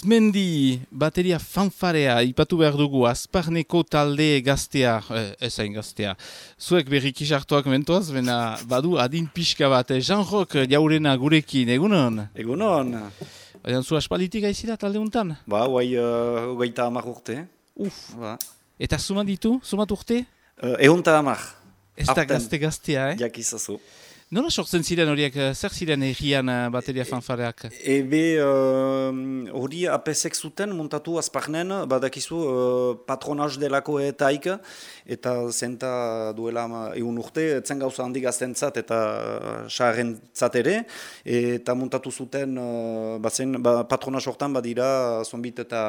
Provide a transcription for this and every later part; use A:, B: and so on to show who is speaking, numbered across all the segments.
A: Mendi, bateria fanfarea, ipatu behar dugu, Azparneko talde gaztea, ezain gaztea. Zuek berriki sartuak mentoaz, bena badu adin pixka bat, Jean-Roch jaurena gurekin, egunon?
B: Egunon.
A: Baina zu aspalditik aizira talde untan?
B: Ba, guai, hogeita hamar urte. Ba.
A: Eta sumat urte?
B: Ehunta hamar.
A: Ez da gazte-gaztea,
B: Jakizazu.
A: Nola sortzen ziren horiek, zer ziren egian bateria fanfareak?
B: Ebe, hori apesek zuten montatu Azparnen, badakizu patronaz delako etaik, eta zenta duela egun urte, etzen gauza handi gaztentzat eta saharrentzat ere, eta montatu zuten patronaz hortan badira zonbit eta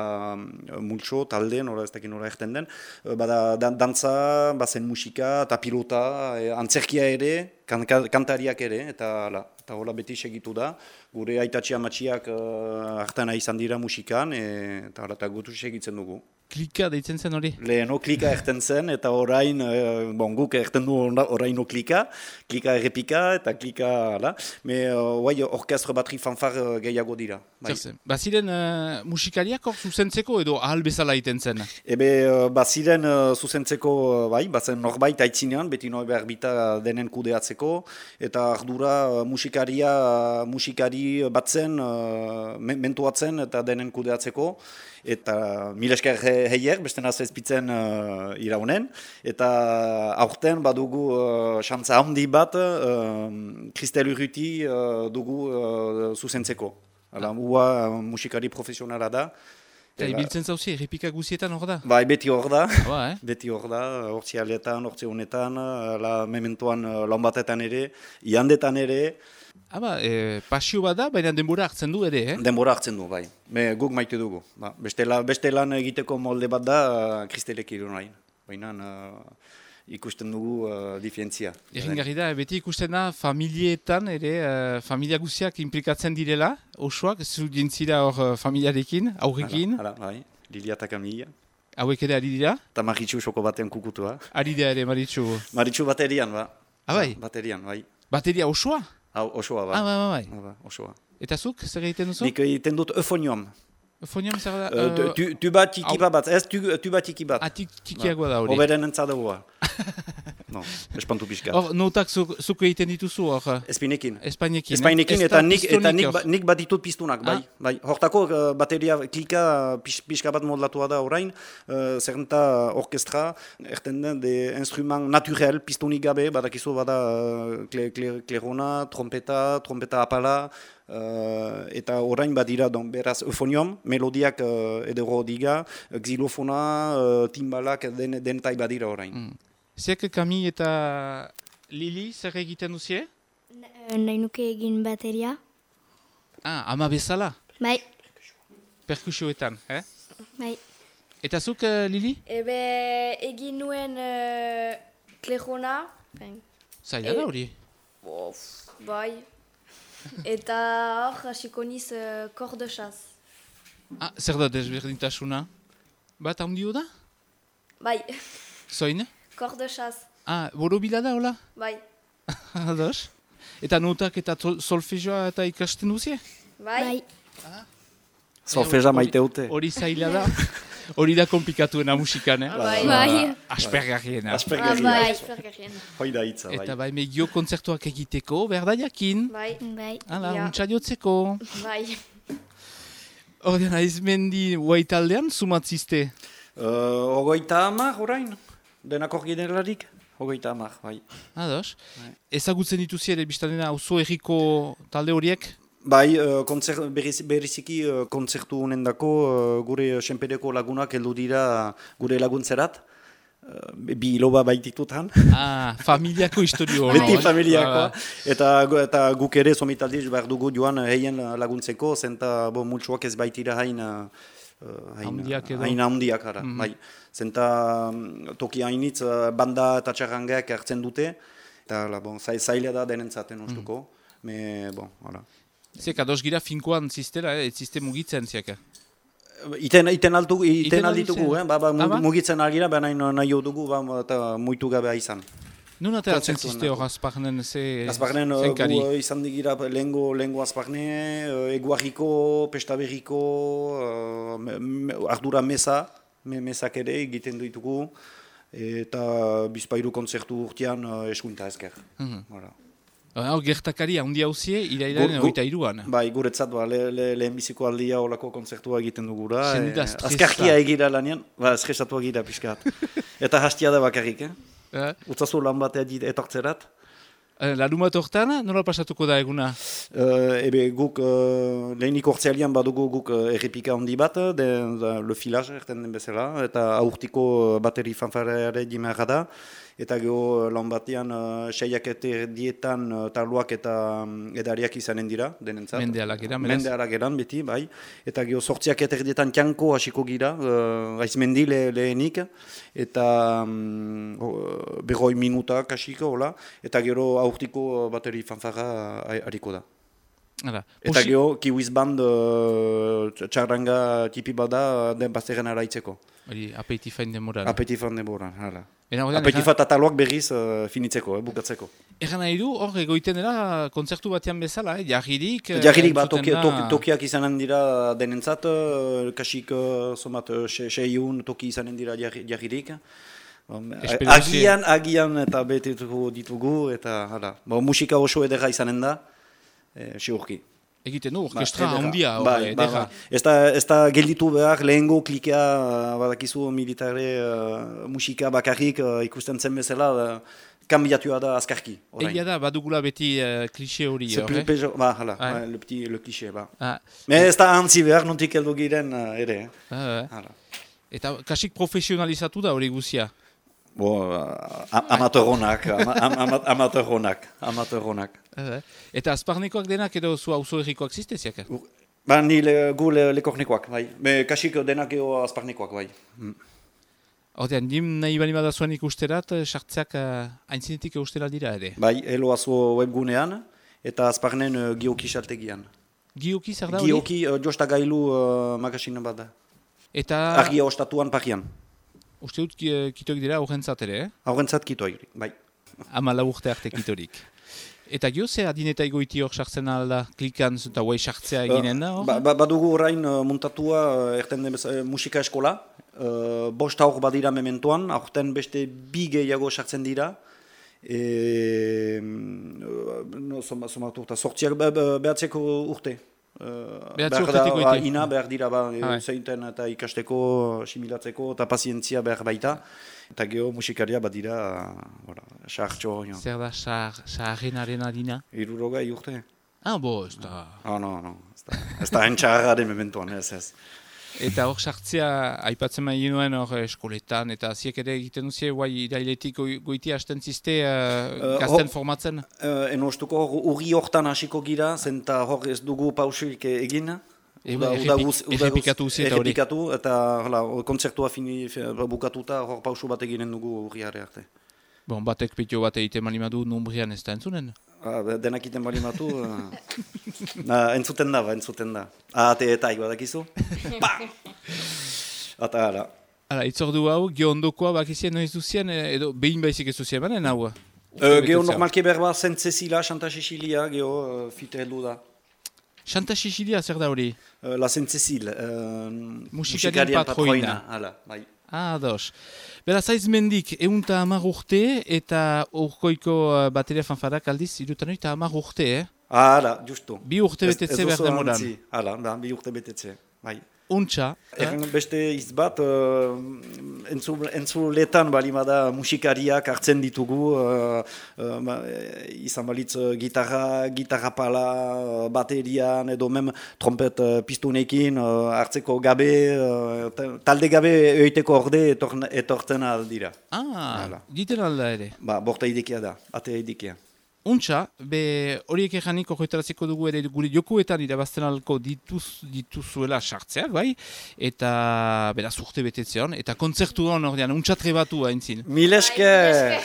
B: multxo, talde, nora ez dakin nora erten den, bada dantza, bazen musika eta pilota, antzerkia ere, kantariak ere, eta hola beti segitu da. Gure aitatxi amatxiak hartan izan dira musikan, eta gutu segitzen dugu.
A: Klika deitzen zen hori?
B: Leheno klika erten zen, eta orain, guk erten du oraino klika errepika, eta klika, hala. Guai, orkestra batri fanfar gehiago dira.
A: Baziren musikariak hor zuzentzeko edo ahal bezala iten zen?
B: Ebe, baziren zuzentzeko, bai, bazen norbait aitzinean, beti behar bita denen kudeatzeko, eta ardura musikari batzen, mentuatzen eta denen kudeatzeko, eta mil esker heier, beste naz ezpitzen iraunen, eta aurten badugu xantza handi bat Kristel Urruti dugu zuzentzeko. Ua musikari profesionala da.
A: Eta ibiltzen zauzi, errepika guzietan hor da?
B: Bai, beti hor da,
A: beti
B: hor da, hortzi aletan, hortzi honetan, mementoan laun batetan ere, iandetan ere.
A: Pasio bat da, baina denbora hartzen du ere,
B: Denbora hartzen du, bai. Guk maite dugu. Beste lan egiteko molde bat da, Kristelek irunain. Baina ikusten dugu diferentzia.
A: Erringarri da, beti ikusten da familietan ere, familia guziak implikatzen direla, osoak, zu dintzira hor familiarekin, aurrekin.
B: Bai, Lilia eta Kamila.
A: Hauek ere ari dira?
B: Eta Maritxu soko batean kukutua.
A: Ari da ere, Maritxu.
B: Maritxu baterian, ba.
A: Bai?
B: Baterian, bai.
A: Bateria osoa?
B: Osoa, ba.
A: Bai.
B: Osoa.
A: Eta zuk, zer egiten duzu?
B: Nik egiten dut eufonium.
A: Eufonium zer da?
B: Tuba tikiba bat, ez tuba tikibat.
A: Tikiagoa da hori.
B: Oberen entzadagua. No, espantu pixka.
A: Hor, notak zuk egiten dituzu hor?
B: Espainekin.
A: Espainekin,
B: eta nik bat ditut piztunak, bai. Hortako bateria klika pixka bat modlatua da orain, zerrenta orkestra, erten den de instrument naturel, piztunik gabe, badakizu bada klerona, trompeta apala, eta orain badira beraz eufonium, melodiak edero diga, xilofona, timbalak denetai badira orain.
A: Zek Kami eta Lili zer egiten duzie?
C: Nahi nuke egin bateria.
A: Ama bezala?
C: Bai.
A: Perkusioetan,
C: Bai.
A: Eta zuk, Lili?
D: Ebe egin nuen klerona.
A: Zaila da hori?
D: Bai. Eta hor hasiko niz kordesaz.
A: Zer da desberdintasuna? Bat handio da?
D: Bai.
A: Zoin?
D: Kordesaz.
A: Borobila da, hola?
D: Bai.
A: Ados? Eta notak eta solfejoa eta ikasten duzie?
D: Bai.
B: Solfeja maite dute.
A: Hori zaila da. Hori da komplikatuena musikan,
C: Bai.
A: Aspergarriena.
B: Hoi da hitza, bai.
A: Eta bai, megio kontzertuak egiteko, behar da jakin.
D: Bai.
A: Hala, untsa jotzeko.
D: Bai.
A: Horien, Mendi Huaitaldean sumatzizte?
B: Hogeita hamar, orain. Denak hor generarik, hogeita hamar, bai.
A: Ados. Ezagutzen dituzi ere biztanena auzo erriko talde horiek?
B: Bai, bereziki kontzertu honendako gure senpereko lagunak heldu dira gure laguntzerat. Bi loba baititutan.
A: Familiako historio.
B: Beti familiakoa. Eta guk ere somitaldiz behar dugu joan heien laguntzeko, zenta multsuak ez baitira hain handiak ara. Bai. Zenta toki hainitz banda eta txarrangeak hartzen dute. Eta zaila da denentzaten ustuko.
A: Zek, ados gira finkoan ziztela, ez zizte mugitzen ziaka?
B: Iten alditugu, mugitzen algira, baina nahi dugu eta muitu gabea izan.
A: Nun ateratzen
B: kontzertuan
A: ziste hor
B: nago.
A: Azparnen
B: Azparnen
A: zenkari?
B: gu izan digira lehengo Azparne, Eguarriko, Pestaberriko, ardura mesak ere egiten ditugu, eta bizpairu kontzertu urtean eskuinta ezker. Voilà.
A: Hor gertakari handi hauzie, irailaren 23an.
B: Bai, guretzat, lehenbiziko aldia olako kontzertua egiten dugura.
A: Sendida stresa.
B: Azkarkia egira lanean, estresatu egira pixkat. Eta hastia da bakarrik, Utzazu lan batea etortzerat.
A: Larun bat hortan, nola pasatuko da eguna?
B: Guk lehenik ortzealian badugu guk errepika handi bat, le filage erten den bezala, eta aurtiko bateri fanfareare dimarra da, eta geho lan batean seiak dietan tarloak eta edariak izanen dira, denentzat.
A: Mendealak eran, beraz?
B: Mendealak eran, beti, bai. Eta geho sortziak dietan txanko hasiko gira, Aizmendi lehenik, eta berroi minuta kasiko, hola, eta gero aurtiko bateri fanfarra hariko da.
A: Hala.
B: Eta geho, Kiwiz Band txarranga tipi bada den bazterren araitzeko.
A: Hori, apetifain demoran.
B: Apetifan denboran, hala.
A: Ordean,
B: Apetifat ataloak berriz finitzeko, bukatzeko.
A: Egan nahi du, hor egoiten dela kontzertu batean bezala, jarririk...
B: Jarririk bat
A: entzuten da-
B: tokiak izanen dira denentzat, kasik somat 6 toki izanen dira jarririk.
A: Esperientzia.
B: Agian eta betetuko ditugu, eta hala. Musika oso edera izanen da, siurki.
A: Egiten du, orkestra handia,
B: bai,
A: edera.
B: Ez da gelditu behar lehengo klikea, badakizu militare musika bakarrik ikusten zen bezala, kanbiatua da azkarki.
A: Egia da, badugula beti klixe hori.
B: Hala,
A: Ah.
B: le klixe, ba.
A: Ah,
B: Ez da antzi behar, nontik heldu giren ere. Hala.
A: Eta kasik profesionalizatu da hori guzia.
B: Amateurronak.
A: Eta azparnekoak denak edo zu auzo errikoak zizteziak?
B: Ba, gu lekornekoak, bai. Kasik denak eo azparnekoak, bai.
A: Hortean, nim nahi bali badazuen ikusterat, sartzeak aintzinetik eustera dira ere.
B: Bai, eloazo webgunean, eta azparnen Gioki saltegian.
A: Gioki zer da hori?
B: Gioki jostagailu magazine bat da.
A: Eta
B: Argia ostatuan parian.
A: uste dut kitoik dira horrentzat ere,
B: Horrentzat kitoik, bai.
A: 14 urte arte kitorik. Eta gio, ze adineta egoiti hor sartzen alda, klikan eta guai sartzea eginen da hor?
B: Badugu orain muntatua erten den musika eskola. 5 aur badira mementoan, aurten beste 2 gehiago sartzen dira. Sortziak behatzeko urte.
A: Behatzi urtetik goite.
B: Ina behar dira, zeinten eta ikasteko, similatzeko, eta pazientzia behar baita. Eta geho musikaria bat dira, sahartxo.
A: Zer da, saharrenaren adina?
B: 60 urte.
A: Ez da.
B: No. Ez da entxarra den mementoan, ez.
A: Eta hor sartzea, aipatzen mahi nuen hor eskoletan, eta ziek ere egiten duzie, guai irailetik goiti hasten zizte gazten formatzen?
B: Enostuko urri hortan hasiko gira, zenta hor ez dugu pausuik egin.
A: Errepikatu uzi eta hori.
B: Errepikatu, eta kontzertua bukatuta hor pausu bat eginen dugu urriare arte.
A: Bon, batek pitio bat egiten malimadu numbrian ez da entzunen?
B: Denak iten balimatu, entzuten da. Ate eta badakizu. Eta hala.
A: Hala, itzordu hau, gio ondokoa bakizien noiz duzien, edo behin baizik ez duzien banen hau?
B: Geo normalke berba Saint Cecilia, Santa Cecilia, geo fite heldu da.
A: Santa Cecilia zer da hori?
B: La Saint Cecile,
A: Musikarien patroina.
B: Hala, bai.
A: Ados. Beraz, Aizmendik 110 urte eta urkoiko bateria fanfarak aldiz, 110 urte,
B: Hala, justu.
A: 2 urte betetze behar demoran.
B: Hala, 2 urte betetze, bai.
A: Untxa.
B: Beste hitz bat, entzuletan balimada musikariak hartzen ditugu, izan balitz gitarra pala, baterian, edo mem trompet pistonekin hartzeko gabe, talde gabe oiteko orde etortzen aldira.
A: Diten alda ere.
B: Borta idekia da, atea idekia.
A: Untxa, horiek eganik horretaraziko dugu ere gure jokuetan irabazten alko dituzuela sartzeak, bai? Eta beraz urte betetzean, eta kontzertu hon ordean, untxatre batu haintzin.
B: Mil esker!